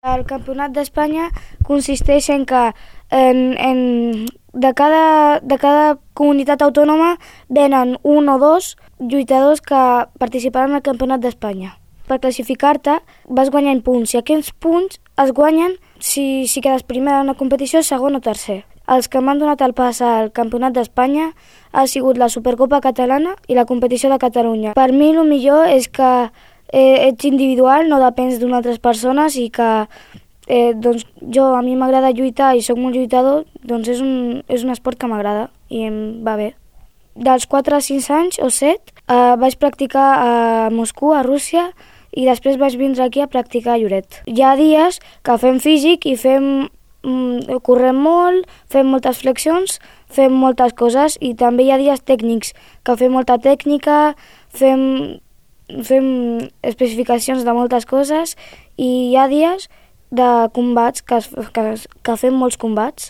El Campionat d'Espanya consisteix en que de cada comunitat autònoma venen un o dos lluitadors que participaran al Campionat d'Espanya. Per classificar-te vas guanyant punts i aquests punts es guanyen si quedes primer en una competició, segon o tercer. Els que m'han donat el pas al Campionat d'Espanya ha sigut la Supercopa Catalana i la competició de Catalunya. Per mi el millor és que ets individual, no depens d'unes altres persones i que a mi m'agrada lluitar i sóc molt lluitador, doncs és un esport que m'agrada i em va bé. Dels 4 a 5 anys o 7 vaig practicar a Moscou, a Rússia, i després vaig vindre aquí a practicar a Lloret. Hi ha dies que fem físic i correm molt, fem moltes flexions, fem moltes coses i també hi ha dies tècnics que fem molta tècnica, fem especificacions de moltes coses i hi ha dies de combats que fem molts combats.